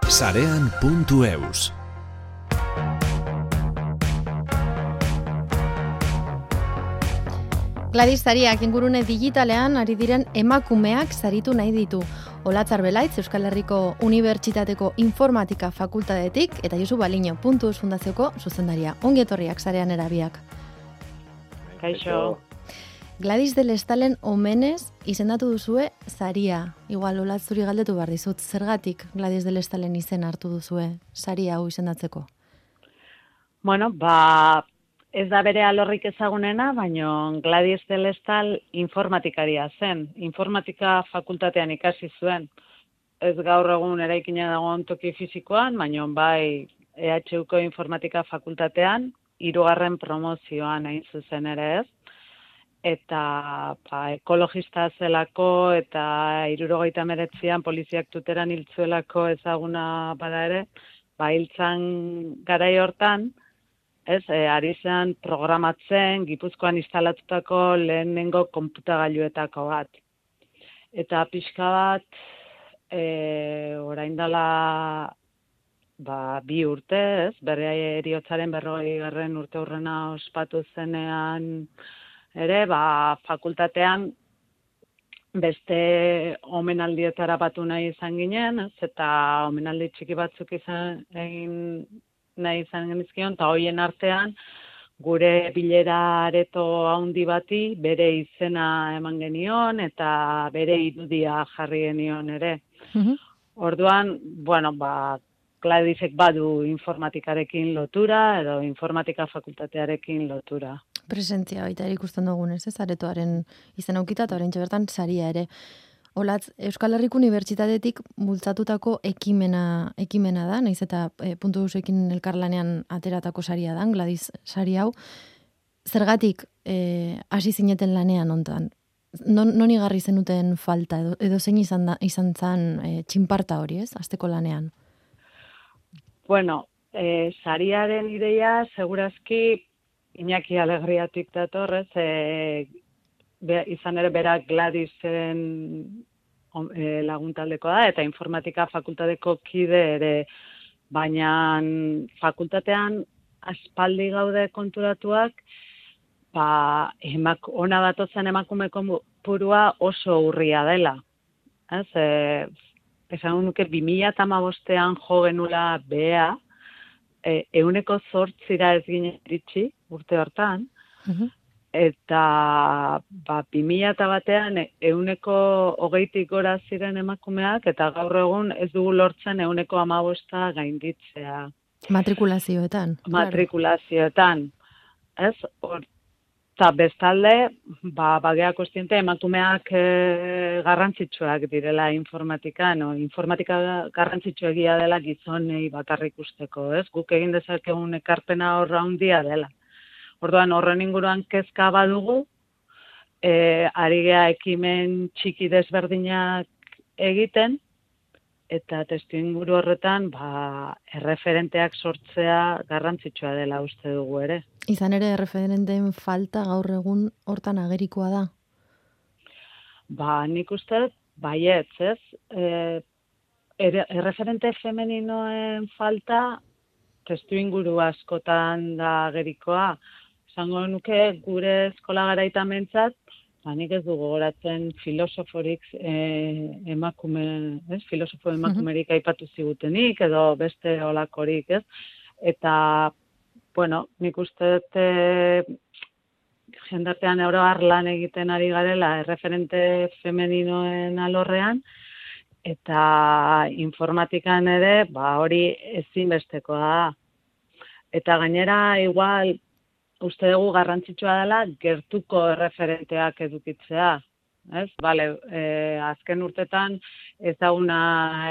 Sarean.eus. Gladys Sariak ingurune digitalean ari diren emakumeak saritu nahi ditu. Olatzar Belaitz, Euskal Herriko Unibertsitateko Informatika Fakultatetik eta Josu Baliño.eus fundazioko zuzendaria. Ongi etorriak Sarean erabiak. Kaixo. Gladys del Estalen omenez izendatu duzue saria. Igual Olatz zuri galdetu behar dizut, zergatik Gladys del Estalen izen hartu duzue saria hau izendatzeko? Bueno, ez da bere alorrik ezagunena, baina Gladys del Estal informatikaria zen. Informatika fakultatean ikasi zuen. Ez gaur egun eraikina dagoen toki fisikoan, baina bai EHUko informatika fakultatean, 3. promozioan hain zuzen ere ez. Eta ekologista zelako eta 1979an poliziak tuteran hiltzuelako ezaguna bada ere, hiltzan garai hortan, ari zen programatzen Gipuzkoan instalatutako lehenengo konputagailuetako bat. Eta pixka bat, orain dela 2 urte, bere heriotzaren 40. urte hurrena ospatu zenean ere, fakultatean beste omenaldietara batu nahi izan ginen, eta omenaldi txiki batzuk egin nahi izan genizkion, eta hoien artean gure bilera areto handi bati bere izena eman genion eta bere irudia jarri genion ere. Orduan, Gladysek badu informatikarekin lotura edo informatika fakultatearekin lotura. Presentzia baita ikusten dugunez, aretoaren izen aukita eta oraintxe bertan saria ere. Olatz, Euskal Herriko Unibertsitatetik bultzatutako ekimena da, nahiz eta .eusekin elkarlanean ateratako saria da, Gladys sari hau. Zergatik hasi zineten lanean hontan? Non igarri zenuten falta edo zein izan zan txinparta hori, ez, hasteko lanean? Bueno, sariaren ideia segurazki Iñaki Alegriatik dator, izan ere berak Gladysen laguntaldekoa da, eta informatika fakultateko kide ere, baina fakultatean aspaldi gaude konturatuak, ona datozen emakume kopurua oso urria dela. Esan nuke 2015an jo genula bea, 8% ez ginen iritsi urte hortan, eta 2001an 20% gora ziren emakumeak, eta gaur egun ez dugu lortzen 15% gainditzea. Matrikulazioetan. Matrikulazioetan. Eta bestalde, bagea kostiente emakumeak garrantzitsuak direla informatikan, informatika garrantzitsuegia dela gizonei bakarrik usteko, ez? Guk egin dezakegun ekarpena horra handia dela. Orduan horren inguruan kezka badugu, ari gea ekimen txiki desberdinak egiten, eta testuinguru horretan erreferenteak sortzea garrantzitsua dela uste dugu ere. Izan ere erreferenteen falta gaur egun hortan agerikoa da? Nik uste baietz, ez? Erreferente femeninoen falta testuinguru askotan da agerikoa. Esango nuke gure eskola garaitan mentzat, nik ez dugu goratzen filosoforik filosofo emakumerik aipatu zigutenik, edo beste olakorik, ez? Eta, nik uste jendartean oroar lan egiten ari garela erreferente femeninoen alorrean, eta informatikan ere, hori ezinbestekoa da. Eta gainera, igual, uste dugu garrantzitsua dela gertuko erreferenteak edukitzea. Azken urtetan ezaguna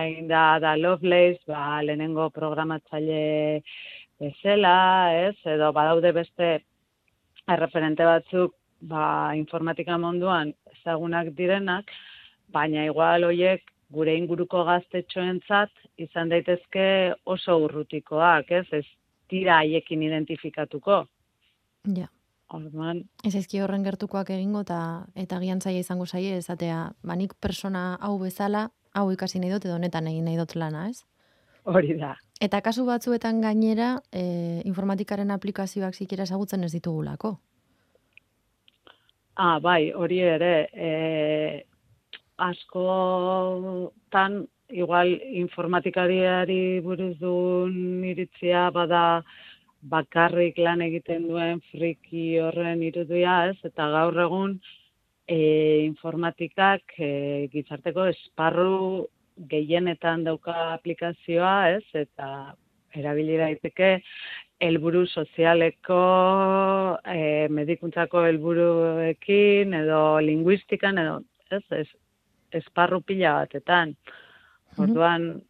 egin da Lovelace, lehenengo programatzaile bezala, edo badaude beste erreferente batzuk informatika munduan ezagunak direnak, baina igual horiek gure inguruko gaztetxoentzat izan daitezke oso urrutikoak, ez dira haiekin identifikatuko. Ja. Ez ezki horren gertukoak egingo eta gian zaila izango zaie esatea, nik persona hau bezala, hau ikasi nahi dut edo honetan egin nahi dut lana, ez? hori da. Eta kasu batzuetan gainera, informatikaren aplikazioak zikera ezagutzen ez ditugulako. Bai, hori ere, askotan, igual informatikariari buruz duen iritzia bada bakarrik lan egiten duen friki horren irudia, ez? Eta gaur egun informatikak gizarteko esparru gehienetan dauka aplikazioa, ez? Eta erabili daiteke helburu sozialeko, medikuntzako helburuekin edo linguistikan edo, ez? Esparru pila batetan. Orduan,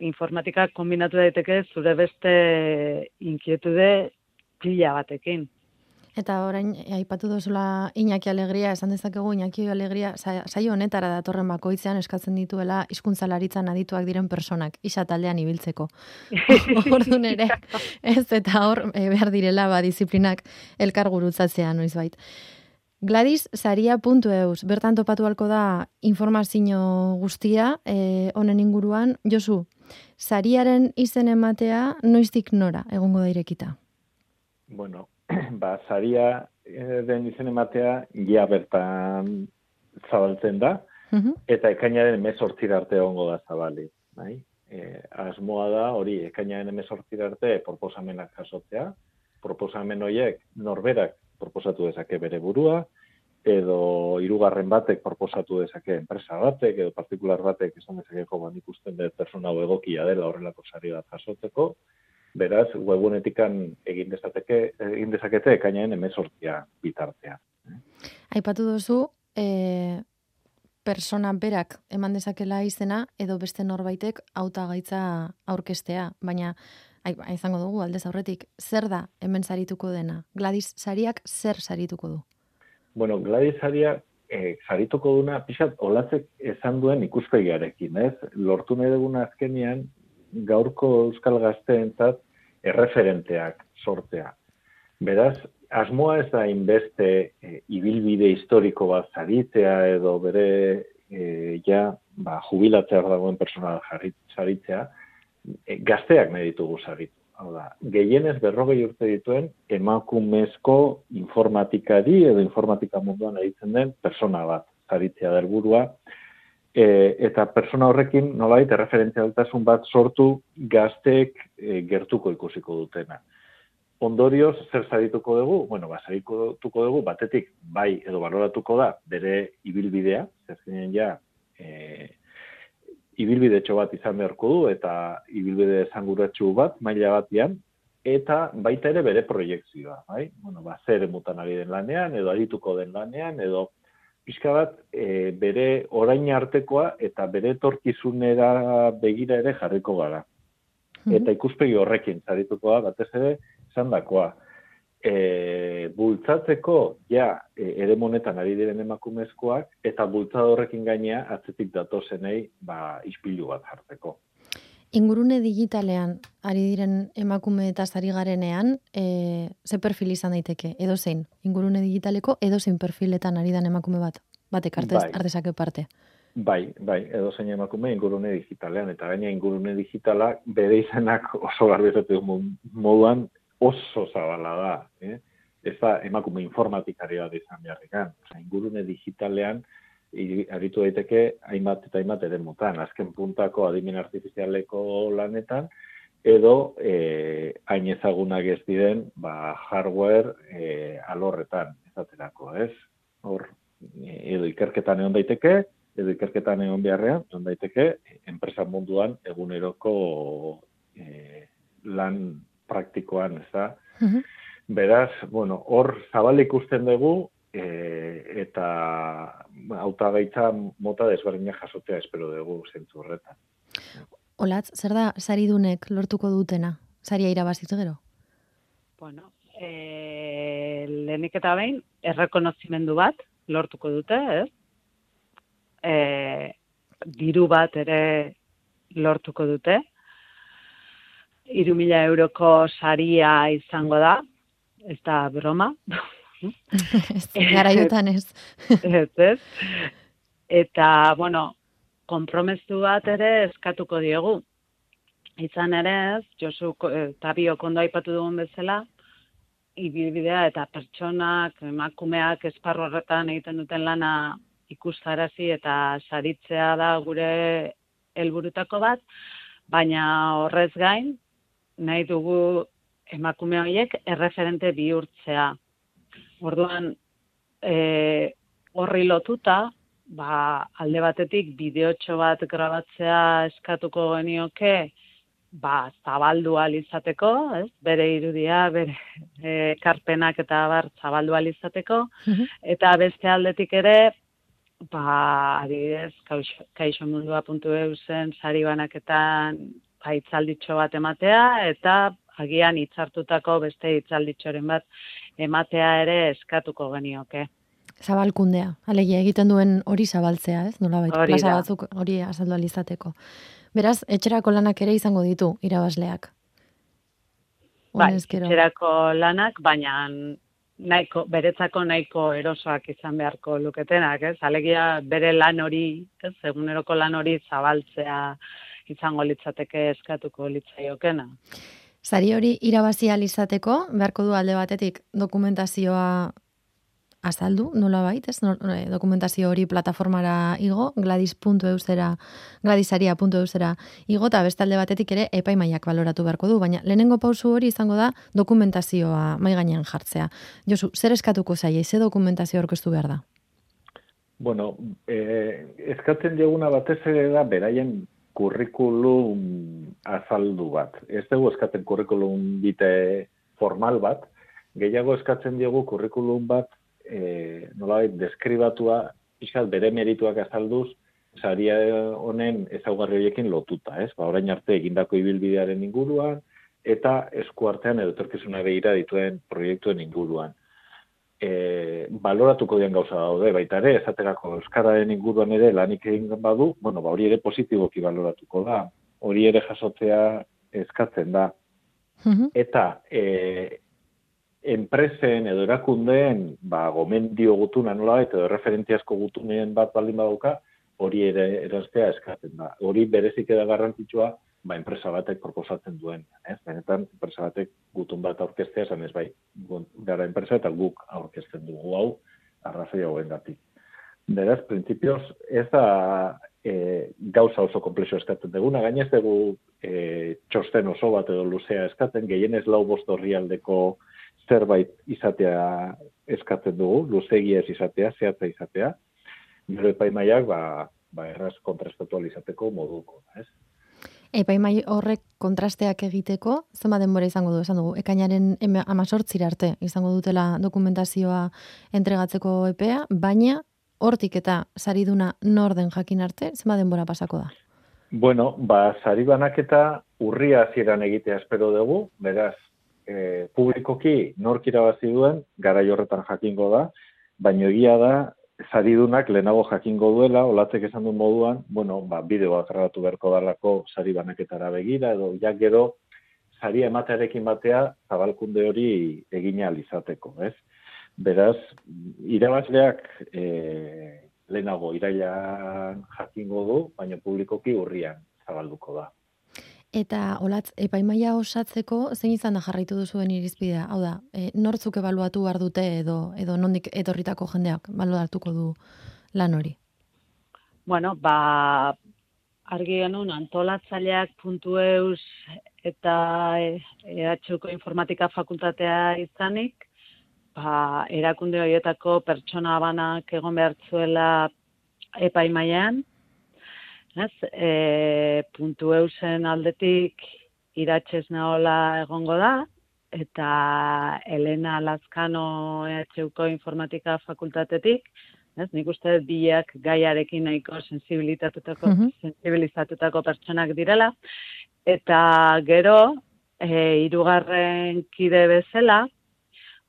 informatikak kombinatu daiteke zure beste inkietude pila batekin. Eta orain, aipatu duzula Iñaki Alegria, esan dezakegu Iñaki Alegria, saio honetara datorren bakoitzean eskatzen dituela hizkuntzalaritzan adituak diren personak, isa taldean ibiltzeko. Orduan ere, ez eta hor behar direla disiplinak elkar gurutzatzea noizbait. Gladyssaria.eus, bertan topatu halko da informazio guztia honen inguruan. Josu, sariaren izen ematea noiztik nora egongo da irekita? Bueno, saria den izen ematea ja bertan zabaltzen da, eta ekainaren 18 arte egongo da zabali. Bai? Asmoa da hori ekainaren 18 arte proposamenak jasotzea, proposamen horiek norberak proposatu dezake bere burua, edo hirugarren batek proposatu dezake enpresa batek, edo partikular batek esan dezakeko ikusten dut persona hau egokia dela horrelako sari bat jasotzeko. Beraz, webunetikan egin dezakete ekainaren 18 bitartea. Aipatu duzu, persona berak eman dezakela izena edo beste norbaitek hautagaitza aurkestea, baina izango dugu aldez aurretik, zer da hemen sarituko dena? Gladys sariak zer sarituko du? Bueno, Gladys saria sarituko duna pixat olatzek esan duen ikuspegiarekin, ez? Lortu nahi duguna azkenean gaurko euskal gazteentzat erreferenteak sortzea. Beraz, asmoa ez da inbeste ibilbide historiko bat saritzea edo bere jubilatzea dagoen persona saritzea, gazteak nahi ditugu saritu. Hau da, gehienez 40 urte dituen emakumezko informatikari edo informatika munduan aritzen den persona bat saritzea da helburua. Eta persona horrekin nolabait erreferentzialtasun bat sortu gazteek gertuko ikusiko dutena. Ondorioz, zer sarituko dugu? Bueno, sarituko dugu batetik bai edo baloratuko da bere ibilbidea, zergenen ibilbidetxo bat izan beharko du eta ibilbide esanguratsu bat maila batean, eta baita ere bere proiektzioa, bai? Bueno, zer emutan ari den lanean edo arituko den lanean edo pixka bat bere orain artekoa eta bere etorkizunera begira ere jarriko gara. Eta ikuspegi horrekin sarituko da, batez ere, esandakoa. Bultzatzeko ere monetan ari diren emakumezkoak eta bultzada horrekin gainea atzetik datozenei ispilu bat jartzeko. Ingurune digitalean ari diren emakume eta ari garenean, ze perfil izan daiteke, edo zein? Ingurune digitaleko edo zein perfiletan ari den emakume bat? Batek artezake parte. Bai, edo zein emakume ingurune digitalean, eta gaina ingurune digitala bere izenak oso garbizatu moduan oso zabala da. Ez da emakume informatikari bat izan beharrikan. Ingurune digitalean aritu daiteke hainbat eta hainbat eremutan, azken puntako adimen artifizialeko lanetan, edo hain ezagunak ez diren hardware alorretan, ezaterako, ez? Hor, edo ikerketan egon daiteke, edo ikerketan egon beharrean, egon daiteke, enpresa munduan eguneroko lan praktikoan, ez da? Beraz, hor zabal ikusten dugu, eta hautagaitza mota desberdinak jasotzea espero dugu zentzu horretan. Olatz, zer da saridunek lortuko dutena? Saria irabazitzu gero? Bueno, lehenik eta behin, errekonozimendu bat lortuko dute, ez? Diru bat ere lortuko dute. 3.000 euroko saria izango da, ez da broma. Garaiotan ez. Ez. Eta, konpromezu bat ere eskatuko diegu. Izan ere ez, Josu eta biok ondo aipatu dugun bezala, ibilbidea eta pertsonak, emakumeak esparru horretan egiten duten lana ikustarazi eta saritzea da gure helburutako bat, baina horrez gain, nahi dugu emakume horiek erreferente bihurtzea. Orduan, horri lotuta, alde batetik bideotxo bat grabatzea eskatuko genioke, zabaldu ahal izateko, bere irudia, bere ekarpenak eta zabaldu ahal izateko, eta beste aldetik ere, adibidez, kaixomundua.eu zen sari banaketan hitzalditxo bat ematea, eta agian hitzartutako beste hitzalditxoren bat ematea ere eskatuko genioke. Zabalkundea, alegia egiten duen hori zabaltzea, ez? Nolabait, plaza batzuk hori azaldu ahal izateko. Beraz, etxerako lanak ere izango ditu irabazleak. Etxerako lanak, baina beretzako nahiko erosoak izan beharko luketenak, ez? Alegia bere lan hori, ez? Eguneroko lan hori zabaltzea izango litzateke eskatuko litzaiokena. Sari hori irabazi ahal izateko, beharko du alde batetik dokumentazioa azaldu, nolabait, ez? Dokumentazio hori plataformara igo, gladisaria.eu igo, eta beste alde batetik ere epaimaiak baloratu beharko du, baina lehenengo pausu hori izango da dokumentazioa mai gainean jartzea. Josu, zer eskatuko zaie, ze dokumentazio aurkeztu behar da? Bueno, eskatzen dieguna batez ere da beraien kurrikulum azaldu bat. Ez dugu eskatzen kurrikulum bite formal bat, gehiago eskatzen diegu kurrikulum bat nolabait deskribatua, pixkat bere merituak azalduz, saria honen ezaugarri horiekin lotuta, ez? Orain arte egindako ibilbidearen inguruan, eta eskuartean edo etorkizuna begira dituen proiektuen inguruan. Baloratuko dian gauza daude, baita ere, esaterako euskararen inguruan ere lanik egin badu, hori ere positiboki baloratuko da, hori ere jasotzea eskatzen da. Eta enpresen edo erakundeen gomendio gutuna nolabait edo referentziazko gutuneen bat baldin badauka, hori ere eraztea eskatzen da. Hori berezik da garrantzitsua enpresa batek proposatzen duen. Benetan, enpresa batek gutun bat aurkeztea, esan ez gara enpresa eta guk aurkezten dugu hau, arrazoi hauengatik. Beraz, printzipioz, ez da gauza oso komplexo eskatzen duguna, gainez dugu txosten oso bat edo luzea eskatzen, gehienez 4-5 orrialdeko zerbait izatea eskatzen dugu, luzegia ez izatea, zehatza izatea, gero epaimaiak erraz kontrastatu izateko moduko, ez? Epaimai horrek kontrasteak egiteko, zenba denbora izango du, esan dugu, ekainaren 18 arte izango dutela dokumentazioa entregatzeko epea, baina hortik eta sariduna nor den jakin arte, zenba denbora pasako da? Bueno, sari banaketa urria hasieran egitea espero dugu, beraz, publikoki nork irabazi duen, garai horretan jakingo da, baina egia da, saridunak lehenago jakingo duela, olatzek esan duen moduan, bideoa grabatu beharko dalako sari banaketara begira, edo gero saria ematearekin batea zabalkunde hori egina alizateko, ez? Beraz, irabazleak lehenago irailan jakingo du, baina publikoki urrian zabalduko da. Eta, Olatz, epaimaia osatzeko, zein izan da jarraitu duzuen irizpidea? Hau da, nortzuk ebaluatu behar dute edo nondik etorritako jendeak baluatuko du lan hori? Bueno, argi genuen antolatzaileak.eu eta EHUko informatika fakultatea izanik, erakunde horietako pertsona banak egon behar zuela epaimaian, .eusen aldetik iratxez nahola egongo da, eta Elena Lazkano EHUko informatika fakultatetik, nik uste biak gaiarekin nahiko sensibilizatutako pertsonak direla, eta gero, 3. kide bezala,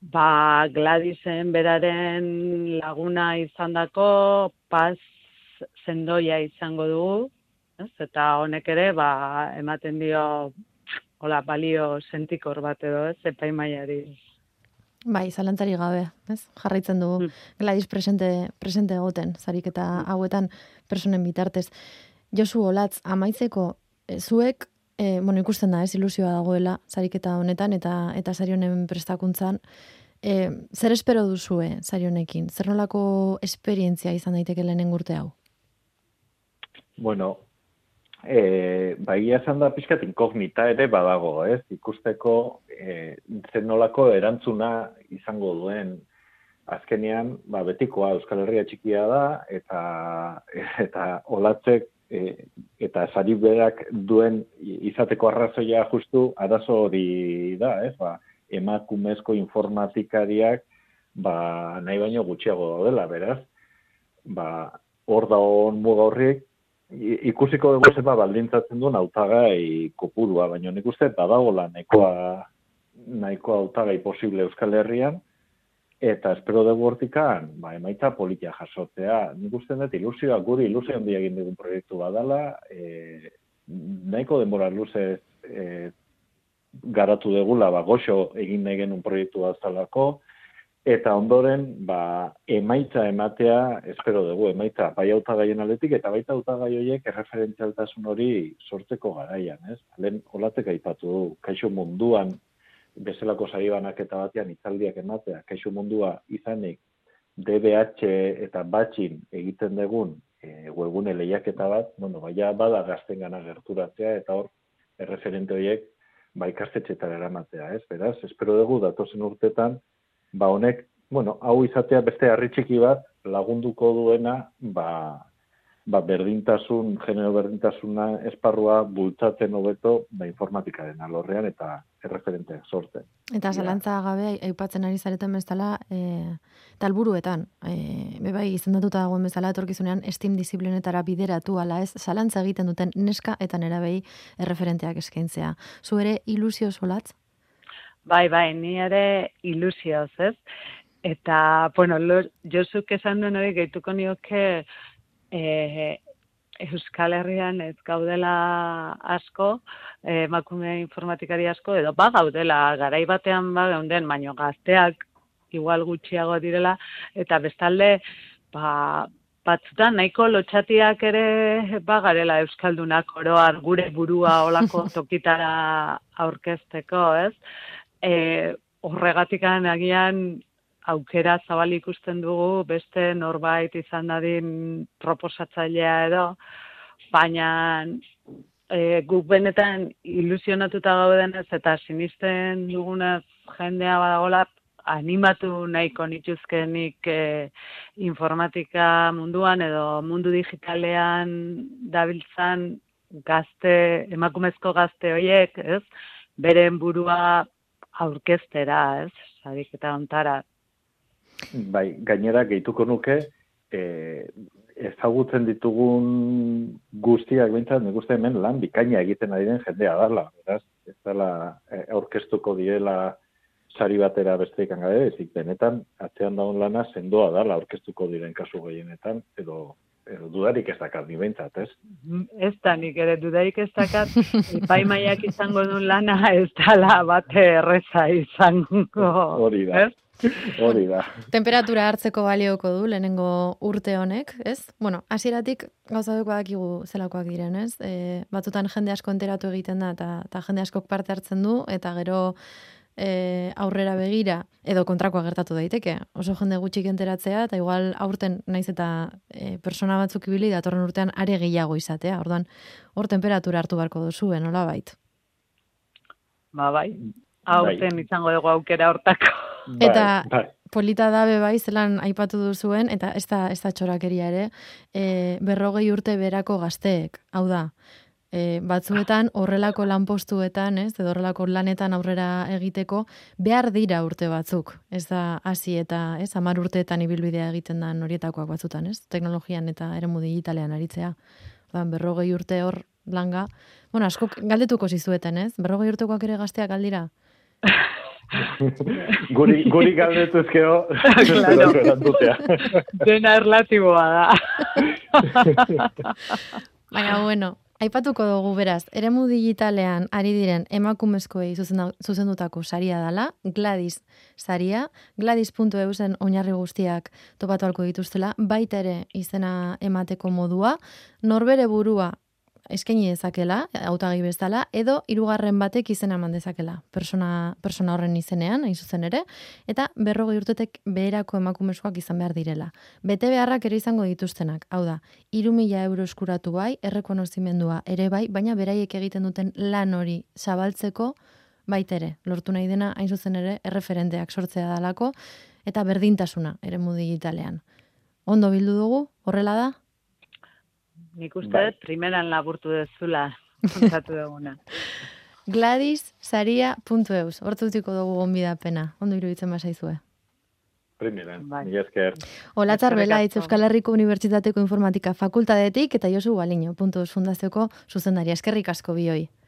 Gladisen beraren laguna izandako Paz Zendoia izango dugu, eta honek ere ematen dio balio sentikor bat edo, epaimaiari. Zalantzari gabe, jarraitzen dugu Gladys presente egoten, sariketa hauetan personen bitartez. Josu, Olatz, amaitzeko, zuek ikusten da, ilusioa dagoela sariketa honetan eta sari honen prestakuntzan. Zer espero duzue sari honekin? Zer nolako esperientzia izan daiteke lehenengo urte hau? Bueno, esan da pixkat inkognita ere badago, ez? Ikusteko zer nolako erantzuna izango duen. Azkenean, betikoa Euskal Herria txikia da, eta olatzek eta sari berak duen izateko arrazoia justu arazo hori da, ez? Emakumezko informatikariak nahi baino gutxiago daudela, beraz. Hor dagoen muga horriek, ikusiko dugu zer baldintzatzen duen hautagai kopurua, baina nik uste badagoela nahikoa hautagai posible Euskal Herrian, eta espero dugu hortikan, emaitza politia jasotzea. Nik uste dut guri ilusio handia egin dugun proiektu badala, nahiko denbora luze garatu degula, goxo egin nahi genuen proiektu bazalako, eta ondoren, emaitza ematea, espero dugu, emaitza bai hautagaien aldetik, eta baita hautagai horiek erreferentzialtasun hori sortzeko garaian, ez? Lehen olatzek aipatu du, kaixo munduan, bezalako sari banaketa batean hitzaldiak ematea, kaixo mundua izanik DBH eta batxin egiten dugun webgune lehiaketa bat, bada gaztengana gerturatzea eta hor erreferente horiek ikastetxeetara eramatea, ez? Beraz, espero dugu datozen urtetan, honek, hau izatea beste harri txiki bat lagunduko duena, berdintasun, genero berdintasuna esparrua bultzatzen hobeto informatikaren alorrean eta erreferenteak sortzen. Eta zalantza gabe aipatzen ari zareten bezala, eta helburuetan, bebai izendatuta dagoen bezala etorkizunean STEM disiplinetara bideratu ala ez, zalantza egiten duten neska eta nerabei erreferenteak eskaintzea. Zu ere ilusio solatz? Bai, ni ere ilusioz, ez? Eta, Josuk esan duen hori gehituko nioke Euskal Herrian ez gaudela asko, emakume informatikari asko, edo gaudela, garai batean geunden, baino gazteak igual gutxiago direla, eta bestalde, batzutan nahiko lotxatiak ere garela Euskaldunak oroar gure burua olako tokitara aurkezteko, ez? Horregatikan agian aukera zabal ikusten dugu, beste norbait izan dadin proposatzailea edo, baina guk benetan ilusionatuta gaudenez eta sinisten dugunez jendea badagola, animatu nahiko nituzkenik informatika munduan edo mundu digitalean dabiltzan emakumezko gazte horiek, ez? Beren burua aurkeztera, ez? Sariketa hontara. Gainera gehituko nuke, ezagutzen ditugun guztiak bintzat, nik uste hemen lan bikaina egiten ari den jendea dala. Beraz, ez dela aurkeztuko direla sari batera besteik gabe, ezik benetan, atzean daun lana sendoa dala aurkeztuko diren kasu gehienetan, edo dudarik ez dakat, ni behintzat, ez? Ez da, nik ere dudarik ez dakat, epaimaiak izango duen lana ez dala bate erreza izango. Hori da. Hori da. Temperatura hartzeko balioko du lehenengo urte honek, ez? Hasieratik gauza dugu badakigu zelakoak diren, ez? Batzutan jende asko enteratu egiten da eta jende askok parte hartzen du eta gero aurrera begira edo kontrakoa gertatu daiteke. Oso jende gutxik enteratzea eta igual aurten naiz eta persona batzuk ibili datorren urtean are gehiago izatea. Orduan, hor temperatura hartu beharko duzue, nolabait? Bai. Aurten izango dugu aukera hortako. Eta polita da bai zelan aipatu duzuen, eta ez da txorakeria ere, 40 urte berako gazteek, hau da, batzuetan horrelako lanpostuetan, ez, edo horrelako lanetan aurrera egiteko, behar dira urte batzuk, ez da hasi eta 10 urteetan ibilbidea egiten da horietakoak batzutan, ez, teknologian eta eremu digitalean aritzea. 40 urte hor langa, askok galdetuko zizueten, ez, 40 urtekoak ere gazteak aldira? Guri galdetuzkeo dena erlatiboa da. Baina, aipatuko dugu beraz, eremu digitalean ari diren emakumezkoei zuzendutako saria dela, Gladys saria, gladys.eusen oinarri guztiak topatu ahalko dituztela, baita ere izena emateko modua, norbere burua eskaini dezakela, hautagai bezala, edo hirugarren batek izena eman dezakela, persona horren izenean, hain zuzen ere, eta 40 urtetek beherako emakumezkoak izan behar direla. Bete beharrak ere izango dituztenak, hau da, 3.000 euro eskuratu bai, errekonozimendua ere bai, baina beraiek egiten duten lan hori zabaltzeko baitere, lortu nahi dena, hain zuzen ere, erreferenteak sortzea dalako, eta berdintasuna, eremu digitalean. Ondo bildu dugu, horrela da? Nik uste, primeran laburtu dezula, kontatu duguna. GladysSaria.eus, hortutiko dugu gonbidapena, ondo iruditzen basaizue. Primeran, mila esker. Olatzar Belaitz, Euskal Herriko Unibertsitateko Informatika Fakultatetik, eta Josu Baliño, .eus fundazioko zuzendaria. Eskerrik asko bioi.